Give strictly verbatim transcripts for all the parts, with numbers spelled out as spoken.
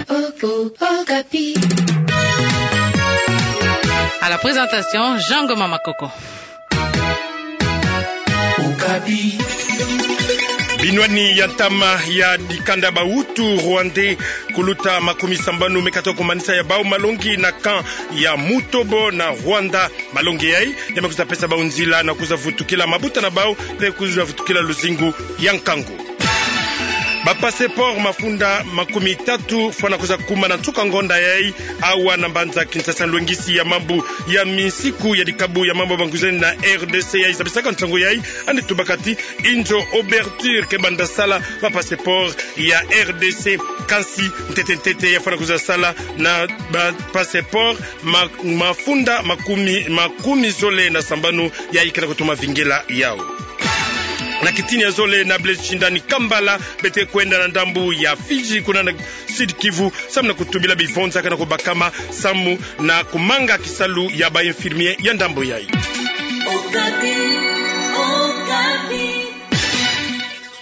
Okapi. À la présentation, Jean Ngoma Makoko. Okapi. Binwani ya ntama ya dikanda ba Hutu rwandais kuluta makumi sambanu me kata kumanisa ya bau malongi na camp ya Mutobo na Rwanda. Malongi yai, ya me kwiza pesa bau nzila na kwiza vutukila mabuta na bau, pe kwiza vutukila luzingu ya nkangu. Ba passeport mafunda makumi tatu fwana kwiza kuma na nsuka ngonda yai, awa na mbanza Kinshasa. Lwengisi ya mambu ya minsiku ya dikabu ya mambu ya bangwizani na R D C yai zabisaka nsangu yai, andi tubaka ti inzo ouverture ke banda sala ba passeport ya R D C. Kansi ntete ntete ya fwana kwiza sala na ba passeport ma-, mafunda makumi, makumi zole na sambanu yai ke na kutoma vingila yau. Na kitini ya zole na Blaise Shindani Kambala, bete kwenda na ndambu ya Fidji, kuna na Sud-Kivu, samu na kutubila bivonza ke na kubakama, samu na kumanga kisalu ya ba infirmier ya ndambu yai. Okapi, Okapi.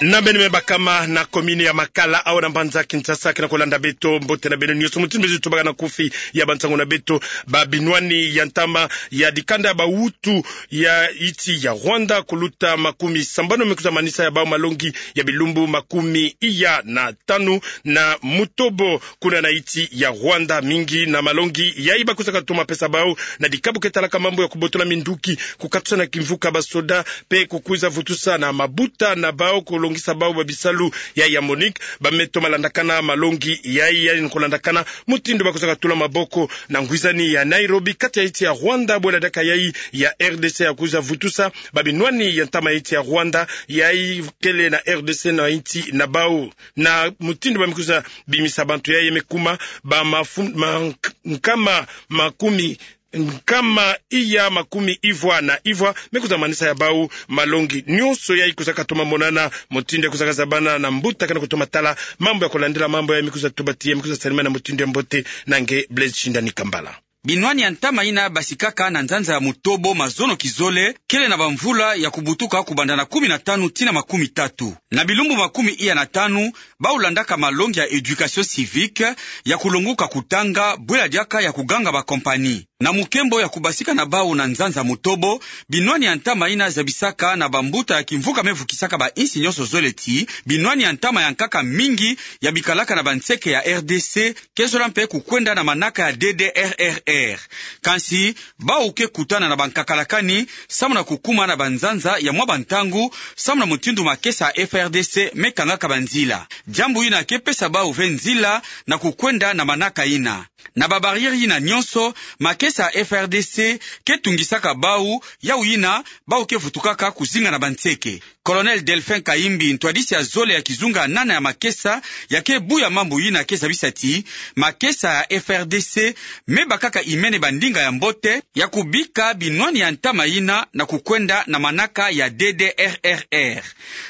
Na beno me bakama na commune ya Makala, awa na mbanza Kinshasa, ke na kulanda beto, mbote na beno nyonso, mutindu mezi tubaka na kufi ya bansangu na beto, ba binwani ya ntama ya dikanda ba Hutu ya insi ya Rwanda kuluta makumi sambanu me kwiza manisa ya bau malongi ya bilumbu makumi iya na tanu na Mutobo, kuna na insi ya Rwanda. Mingi na malongi yai ba kwizaka toma pesa bau na dikabu ke talaka mambu ya kubotola minduki, kukatusana kimvuka ba soda, pe kukwiza vutusana mabuta na bau, kulongisa bau ba bisalu yai ya MONUC. Ba me toma landakana malongi yai, yai ni kulandakana mutindu ba kwizaka tula maboko na ngwizani ya Nairobi, kati ya insi ya Rwanda, bwela diaka yai ya R D C ya kwiza vutusa ba binwani ya ntama ya insi ya Rwanda yai kele na R D C na insi na bau. Na mutindu ba me kwiza bimisa bantu yai, ya me kuma ba mafu-, ma-, nkama makumi, nkama iya makumi ivwa na ivwa me kwiza manisa ya bau malongi. Nyonso yai kwizaka toma monana, mutindu ya kwizaka zabana na mbuta ke na kutoma tala mambu ya kulandila mambu yai, me kwiza tuba ti ya me kwiza salima na mutindu ya mbote na nge Blaise Shindani Kambala. Binwani ya ntama ina basikaka na nzanza ya Mutobo mazono kizole, kele na bamvula ya kubutuka kubanda na kumi na tanu tii na makumi tatu. Na bilumbu makumi iya na tanu, bau landaka malongi ya éducation civique, ya kulonguka kutanga, bwela diaka ya kuganga ba compagnie. Na mukembo ya kubasika na bau na nzanza Mutobo, binwani ya ntama ina zabisaka na bambuta ya kimvuka me vukisaka ba insi nyonso zole ti binwani ya ntama ya nkaka mingi ya bikalaka na banseke ya R D C ke zola mpe kukwenda na manaka ya D D R R R. Kansi, bau ke kutana na bankakalakani samu na kukuma na banzanza ya mwa bantangu, samu na mutindu makesa ya F R D C me kangaka banzila. Diambu ina ke pesa bau ve nzila na kukwenda na manaka ina. Na ba barrière ina nyonso, makesa ya F R D C ke tungisaka bau, yau ina bau ke vutukaka kuzinga na banseke. Colonel Delphin Kayimbi, ntwadisi ya zole ya kizunga nana ya makesa, ya ke buya mambu ina ke zabisa ti makesa ya F R D C me bakaka imene bandinga ya mbote ya kubika binwani ya ntama ina na kukwenda na manaka ya D D R R R.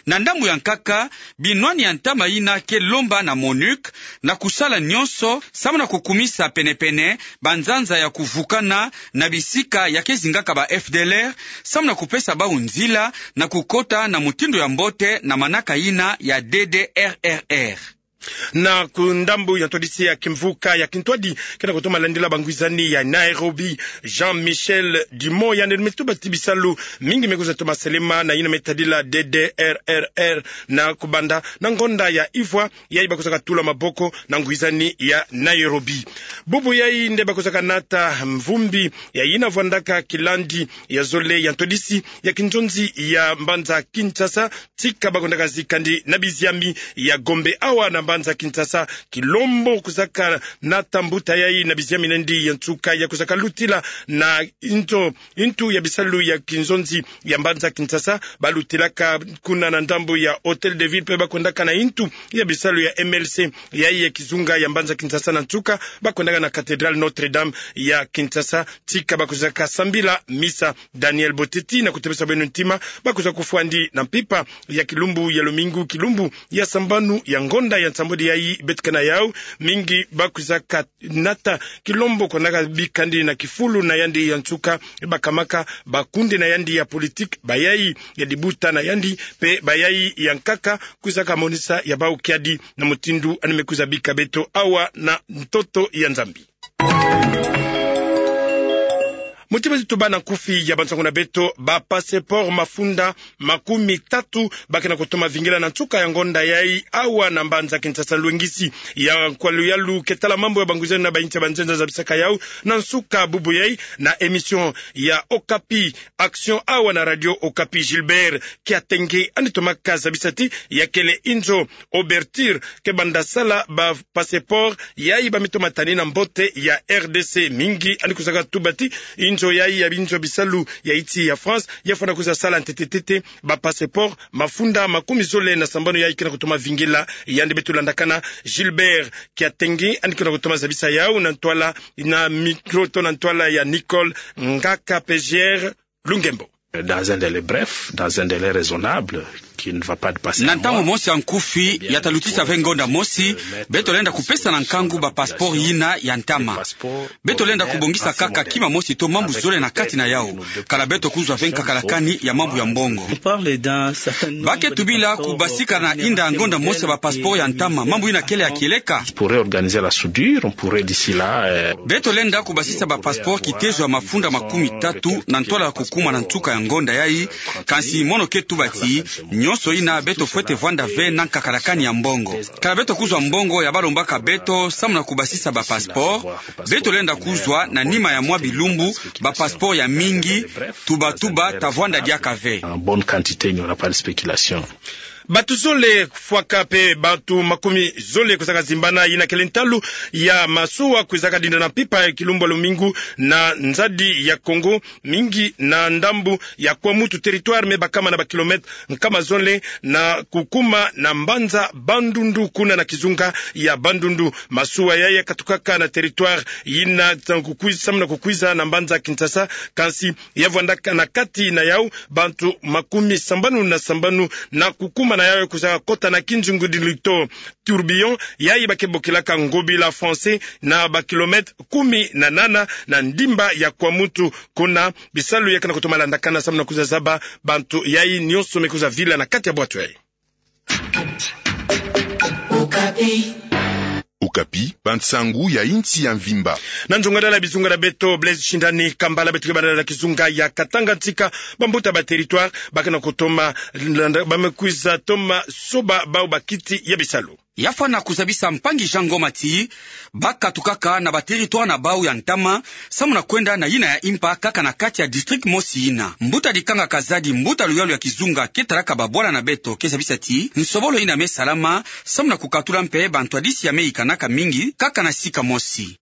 Na ndambu ya nkaka, binwani ya ntama ina ke lomba na MONUC na kusala nyonso samu na kukumisa penepene banzanza ya kuvukana na bisika ya ke zingaka ba F D L R, samu na kupesa bau nzila na kukota na mutindu ya mbote na manaka ina ya D D R R R. Na ku ndambu ya ntwadisi ya kimvuka ya kintwadi ke na kutoma landila bangwizani ya Nairobi, Jean-Michel Dumont, yandi me tuba ti bisalu mingi me kwiza toma selema na ina me tadila D D R R R na kubanda na ngonda ya ivwa, yai ba kwizaka tula maboko na ngwizani ya Nairobi. Bubu yai nde ba kwizaka nata mvumbi ya ina vwandaka kilandi ya zole ya ntwadisi ya kinzonzi ya mbanza Kinshasa, tika ba kwendaka zikandi na biziami ya Gombe, awa na mbanza Kinshasa. Kilombo kwizaka nata mbuta yai na biziami na ndi ya nsuka ya kwizaka lutila na inzo, intu ya bisalu ya kinzonzi ya mbanza Kinshasa, ba lutilaka kuna na ndambu ya Hôtel de Ville, mpe ba kwendaka na intu ya bisalu ya M L C yai ya kizunga ya mbanza Kinshasa na nsuka, ba kwenda na cathédrale Notre-Dame ya Kinshasa, tika ba kwizaka sambila misa. Daniel Boteti na kutebesa beno ntima, ba kwiza kufwandi na mpimpa ya kilumbu ya lumingu, kilumbu ya sambanu ya ngonda ya nsambwadi yayi beto ke na yau, mingi ba kwizaka nata kilombo ko naka bikandi na kifulu na yandi ya nsuka, bakamaka bakunde na yandi ya politique, bayayi ya dibuta na yandi, mpe bayayi ya nkaka, kwizaka monisa ya bau kiadi na mutindu ani me kwiza bika beto awa na ntoto ya Nzambi. Muti ba zi tuba na nkufi ya bansangu na beto, ba passeport mafunda makumi tatu ba ke na kutoma vingila na nsuka ya ngonda yayi awa na mbanza Kinshasa. Lwengisi ya nkwalu yalu ke tala mambu ya bangwizeno na bayinsi ya banzenza zabisaka yau na nsuka bubu yayi na émission ya Okapi Action awa na Radio Okapi. Gilbert Kiatenge ani tomaka zabisa ti ya kele inzo ouverture ke banda sala ba passeport yayi ba me toma tani na mbote ya R D C. Mingi ani kwizaka tuba ti inzo yayi ya binzo bisalu ya insi ya France ya fwana kwiza sala ntete-ntete ba passeport mafunda makumi zole na sambanu yayi ke na kutoma vingila. Yandi beto landakana, Gilbert Kiatenge, ani ke na kutoma zabisa yau na ntwala, na micro to na ntwala ya Nicole Ngaka Pejière Lungembo. Dans un délai bref, dans un délai raisonnable, qui ne va pas dépasser un mois. Na ntangu mosi ya nkufi, ya ta lutisa ve ngonda mosi, beto lenda kupesa na nkangu ba passeport yina ya ntama. Beto lenda kubongisa kaka kima mosi to mambu zole na kati na yau, kala beto kuzwa ve nkakalakani ya mambu ya mbongo. Ba ke tubila kubasika na inda ngonda mosi ya ba passeport ya ntama, mambu yina kele ya kieleka. Pourrait organiser la soudure, on pourrait d'ici là, euh, Beto lenda kubasisa ba passeport kitezo ya mafunda makumi tatu na ntwala ya kukuma na nsuka ya ngonda yayi, kansi mono ke tuba ti, nyonso yina beto fwete vwanda ve na nkakalakani ya mbongo. Kala beto kuzwa mbongo ya ba lombaka beto samu na kubasisa ba passeport, beto lenda kuzwa na nima ya mwa bilumbu ba passeport ya mingi, tuba-tuba ta vwanda diaka ve. En bonne quantité, il n'y aura pas de spéculation. Bato zole fwaka mpe bato makumi zole kwizaka zimbana, yina kele ntalu ya masuwa kwizaka dinda na mpimpa ya kilumbu ya lumingu na nzadi ya Congo, mingi na ndambu ya Kwamouth, territoire me bakama na ba kilomètre nkama zole na kukuma na mbanza Bandundu, kuna na kizunga ya Bandundu. Masuwa yayi ya katukaka na territoire yina samu na kukwiza, samu na kukwiza na mbanza Kinshasa, kansi ya vwandaka na kati na yau bato makumi sambanu na sambanu, na kukuma na yau ya kwizaka kota na kinzungudilito tourbillon, yayi ba ke bokilaka ngobila français, na ba kilomètre kumi na nana na ndimba ya Kwamouth, kuna bisalu ya ke na kutoma landakana samu na kwiza zaba bato yayi nyonso me kwiza vila na kati ya bwato yayi. Okapi, bansangu ya insi ya mvimba. Na nzongadala ya bizunga na beto, Blaise Shindani, Kambala, beto ke bandala na kizunga ya Katanga, ntika bambuta ba territoire ba ke na kutoma landa, ba me kwiza toma soba bau bakiti ya bisalu. Ya fwana kuzabisa mpangi Jean Ngoma ti ba katukaka na ba territoire na bau ya ntama, samu na kwenda na yina ya impa kaka na kati ya district mosi yina. Mbuta Dikanga Kazadi, mbuta luyalu ya kizunga, ke talaka babwala na beto, ke zabisa ti nsobolo yina me salama samu na kukatula mpe bantwadisi ya me yikanaka mingi kaka na sika mosi.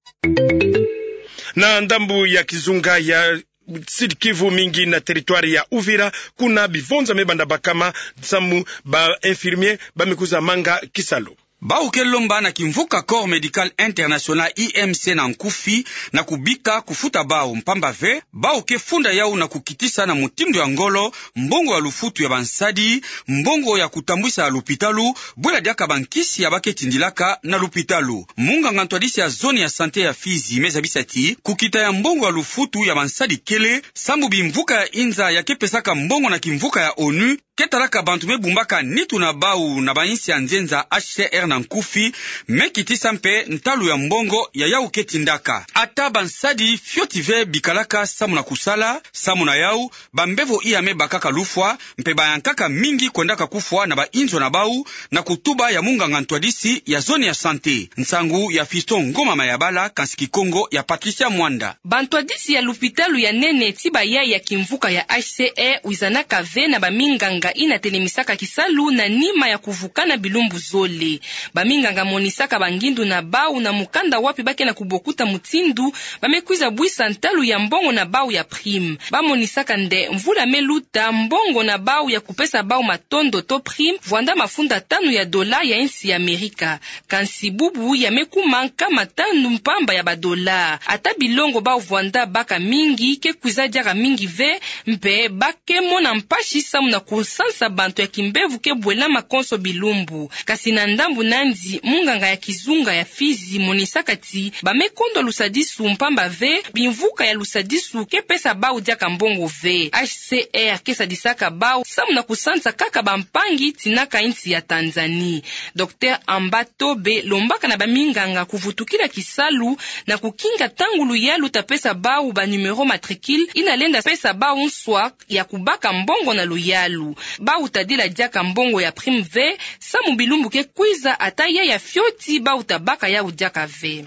Na ndambu ya kizunga ya Sud-Kivu, mingi na territoire ya Uvira, kuna bivonza me banda bakama samu ba infirmier ba me kwiza manga kisalu. Bau ke lomba na kimvuka Corps Médical International, I M C na nkufi, na kubika kufuta bau, mpamba ve bau ke funda yau na kukitisa na mutindu ya ngolo mbongo ya lufutu ya bansadi, mbongo ya kutambwisa lupitalu, bwela diaka bankisi ya ba ke tindilaka na lupitalu. Munganga ntwadisi ya zone ya santé ya Fizi me zabisa ti kukita ya mbongo ya lufutu ya bansadi kele, sambu bimvuka ya inza ya ke pesaka mbongo na kimvuka ya onu ke talaka bantu me bumbaka nitu na bau na bainsi ya nzenza, H C R na nkufi, me kitisa mpe ntalu ya mbongo ya yau ke tindaka. Ata bansadi fioti ve bikalaka samu na kusala, samu na yau, bambevo iya me bakaka lufwa, mpe bayankaka mingi kwendaka kufwa na bainzo na bau, na kutuba ya munganga ntwadisi ya zone ya santé. Nsangu ya Fiston Ngoma Mayabala, kansi Kikongo ya Patricia Mwanda. Bantwadisi ya lupitalu ya nene ti bayayi ya kimvuka ya H C R wizanaka ve na baminganga yina telemisaka kisalu na nima ya kuvukana bilumbu zole. Baminganga monisaka bangindu na bau na mukanda wapi ba ke na kubokuta mutindu ba me kwiza bwisa ntalu ya mbongo na bau ya prime. Ba monisaka nde mvula me luta, mbongo na bau ya kupesa bau matondo to prime vwanda mafunda tanu ya dola ya insi ya Amerika. Kansi bubu ya me kuma nkama tanu mpamba ya ba dola. Ata bilongo bau vwanda baka mingi ke kwiza diaka mingi ve, mpe ba ke mona mpasi samu na kusansa bantu ya kimbevo ke bwelama konso bilumbu. Kasi na ndambu nandi, munganga ya kizunga ya Fizi monisaka ti ba me kondwa lusadisu mpamba ve, bimvuka ya lusadisu ke pesa bau diaka mbongo ve. H C R ke sadisaka bau samu na kusansa kaka bampangi tinaka insi ya Tanzanie. Docteur Amba Tobe lombaka na baminganga kuvutukila kisalu na kukinga ntangu luyalu ta pesa bau ba numéro matricule ina lenda pesa bau nswa ya kubaka mbongo na luyalu. Bau tadila diaka mbongo ya prime ve, samu bilumbu ke kwiza ata ya ya fioti bau tabaka yau diaka ve.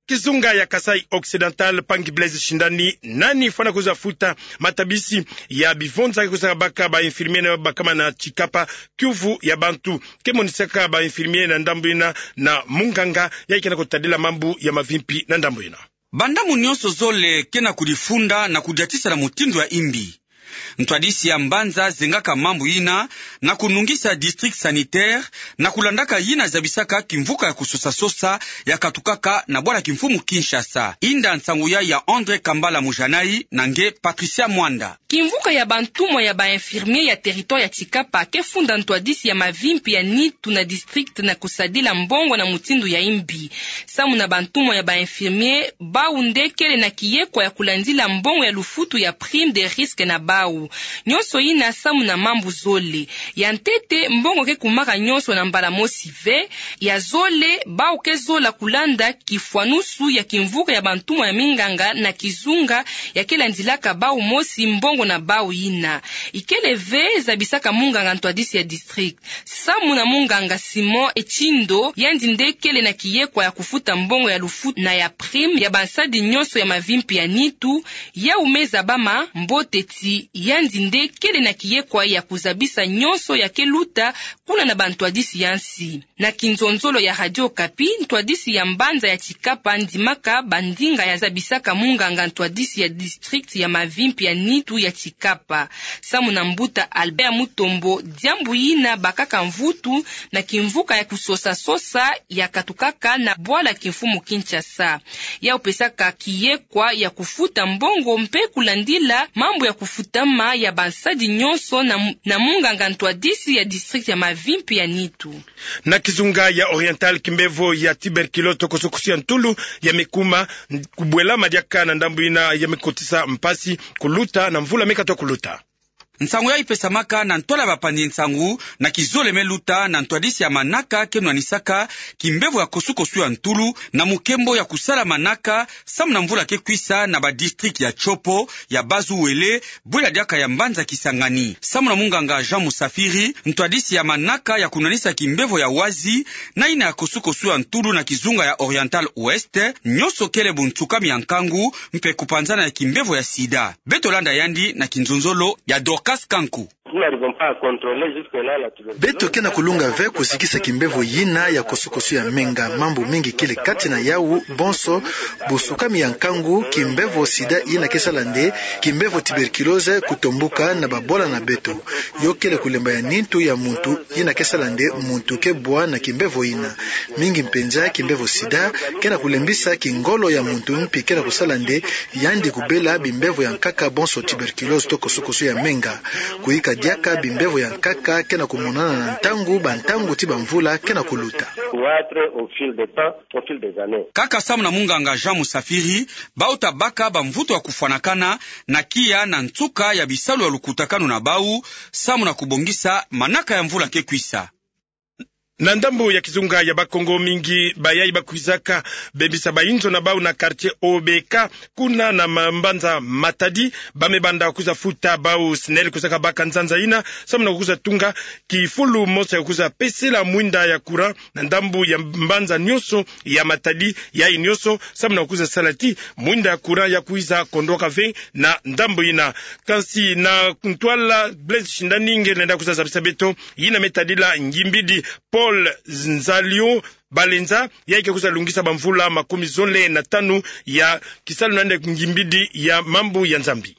Kizunga ya Kasaï Occidental, mpangi Blaise Shindani, nani fwana kwiza futa matabisi ya bivonza ke kwizaka baka ba infirmier na bakama na Tshikapa, kiuvu ya bantu ke monisaka ba infirmier na ndambu ina na munganga ya ke na kutadila mambu ya mavimpi na ndambu ina. Bandambu nyonso zole ke na kudifunda na kudiatisa na mutindu ya imbi. Ntwadisi ya mbanza zengaka mambu ina na kunungisa district sanitaire na kulandaka yina zabisaka kimvuka ya kusosa-sosa ya katukaka na bwala kimfumu Kinshasa. Inda nsangu ya ya André Kambala Mujanai na nge Patricia Mwanda. Kimvuka ya bantumwa ya ba infirmier ya territoire ya Tshikapa ke funda ntwadisi ya mavimpi ya nitu na district na kusadila mbongo na mutindu ya imbi. Samu na bantumwa ya ba infirmier, bau nde kele na kiyekwa ya kulandila mbongo ya lufutu ya prime de risque na bau. Nyonso ina samu na mambu zole. Ya ntete, mbongo ke kumaka nyonso na mbala mosi ve. Ya zole, bau ke zola kulanda kifwanusu ya kimvuka ya bantumwa ya minganga na kizunga ya ke landilaka bau mosi mbongo na bau ina. Ikele ve zabisaka munganga ntwadisi ya district. Samu na munganga Simon Echindo, yandi nde kele na kiyekwa ya kufuta mbongo ya lufutu na ya prime ya bansadi nyonso ya mavimpi ya nitu, yau me zabama mbote ti yandi nde kele na kiyekwa ya kuzabisa nyonso ya ke luta kuna na bantwadisi ya nsi. Na kinzonzolo ya Radio Okapi, ntwadisi ya mbanza ya Tshikapa andimaka bandinga ya zabisaka munganga ntwadisi ya district ya mavimpi ya nitu ya Tshikapa. Samu na mbuta Albert Mutombo, diambu ina bakaka mvutu na kimvuka ya kusosa-sosa ya katukaka na bwala kimfumu Kinshasa. Yau pesaka kiyekwa ya kufuta mbongo mpe kulandila mambu ya kufutama ya bansadi nyonso na, na munganga ntwadisi ya district ya mavimpi ya nitu. Na kizunga ya Oriental, kimbevo ya tuberculose to kosokoso ya ntulu ya me kuma kubwelama diaka na ndambu ina ya me kotisa mpasi kuluta na mvula me katwa kuluta. Nsangu yai pesamaka na ntwala ya bapanzi nsangu na kizole me luta na ntwadisi ya manaka ke nwanisaka kimbevo ya kosukosu ya ntulu na mukembo ya kusala manaka samu na mvula ke kwisa na ba district ya Tshopo, ya Bas-Uele, bwela diaka ya mbanza Kisangani. Samu na munganga Jean Musafiri, ntwadisi ya manaka ya kunwanisa kimbevo ya wazi na ina ya kosukosu ya ntulu na kizunga ya Oriental Ouest, nyonso kele buntsukami ya nkangu mpe kupanzana ya kimbevo ya sida. Beto landa yandi na kinzonzolo ya Dorcas Kanku. Nous n'arrivons pas à contrôler jusque-là la tuberculose. Beto ke na kulunga ve kusikisa kimbevo yina ya kosukosu ya menga. Mambu mingi kele kati na yau bonso bunsukami ya nkangu, kimbevo sida yina ke sala nde kimbevo tuberculose kutombuka na babwala na beto. Yo kele kulemba ya nintu ya muntu yina ke sala nde muntu ke bwa na kimbevo yina. Mingi mpenza, kimbevo sida ke na kulembisa kingolo ya muntu mpi ke na kusala nde yandi kubela bimbevo ya nkaka bonso tuberculose to kosukosu ya menga. Kuyika diaka bimbevo ya nkaka ke na kumonana na ntangu, bantangu ti bamvula ke na kuluta. Croître au fil des temps, au fil des années. Kaka samu na munganga Jean Musafiri, bau tabaka bamvutu ya kufwanakana na kiya na nsuka ya bisalu ya lukutakanu na bau, samu na kubongisa manaka ya mvula ke kwisa. Na ndambo ya kizunga ya Bakongo, mingi bayai bakwizaka bebisa bayinzo na bau na quartier O B K, kuna na ma-, mbanza Matadi, ba me banda kwiza futa bau SNEL kwizaka baka nzanza yina, samu na kwiza tunga kifulu mosi ya kwiza pesela mwinda ya courant na ndambo ya mbanza nyonso ya Matadi, yayi nyonso samu na kwiza sala ti mwinda ya courant ya kwiza kondwaka ve na ndambo yina. Kansi na ntwala Blaise Shindani nge lenda kwiza zabisa beto yina me tadila ngimbidi Paul Nzalion Balenza, yayi ke kwiza lungisa bamvula makumi zole na tanu ya kisalu na yandi ngimbidi ya mambu ya Nzambi.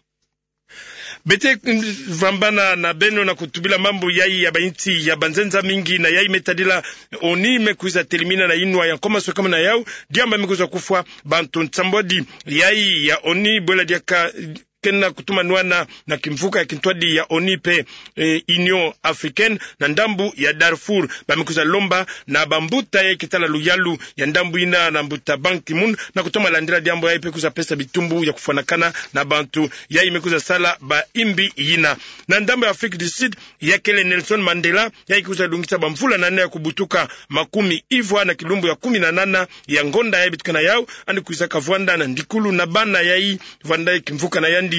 Beto, mm, vambana na beno na kutubila mambu yayi ya bayinsi ya banzenza mingi, na yayi me tadila ONU me kwiza telimina na inwa ya nkoma swekama na yau, diambu me kwiza kufwa bantu nsambwadi yayi ya ONU, bwela diaka kena kutuma nwana na kimvuka ya kintwadi ya ONU pe, eh, Union Africaine, na ndambo ya Darfour. Ba me kwiza lomba na bambuta yayi ke tala luyalu ya ndambo yina, na mbuta Ban Ki-moon, na kutoma landila diambu yayi pe kwiza pesa bitumbu ya kufwanakana na bantu yayi me kwiza sala bayimbi yina. Na ndambo ya Afrique du Sud, ya kele Nelson Mandela, yayi ke kwiza lungisa bamvula nana ya kubutuka, makumi ivwa na kilumbu ya kumi na nana ya ngonda yayi bitukana yau, yandi kwizaka vwanda na ndikulu na bana yayi vwanda kimvuka na yandi,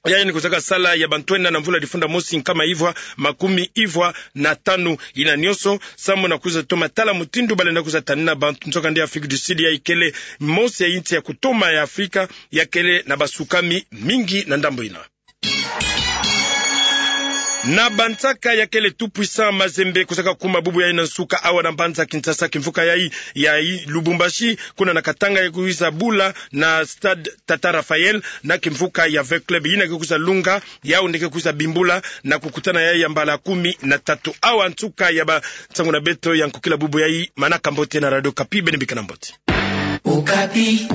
yayi yandi kwizaka sala ya bantwenia na mvula difunda mosi nkama ivwa makumi ivwa na tanu. Yina nyonso samu na kwiza toma tala mutindu balenda kwiza tanina bantu. Nzoka nde Afrique du Sud yayi kele mosi ya yinsi ya kutoma ya Afrika ya kele na basukami mingi na ndambo yina. Na bansaka, ya kele Tout Puissant Mazembe kwizaka kuma bubu yayi na nsuka awa na mbanza Kinshasa, kimvuka yayi ya Lubumbashi, kuna na Katanga, ya kwiza bula na Stade Tata Raphaël na kimvuka ya V Club yina ke kwiza lunga, yau nde ke kwiza bimbula na kukutana yayi ya mbala kumi na tatu. Awa nsuka ya bansangu na beto ya nkokila bubu yayi. Manaka mbote na Radio Okapi, beno bika na mbote. Okapi.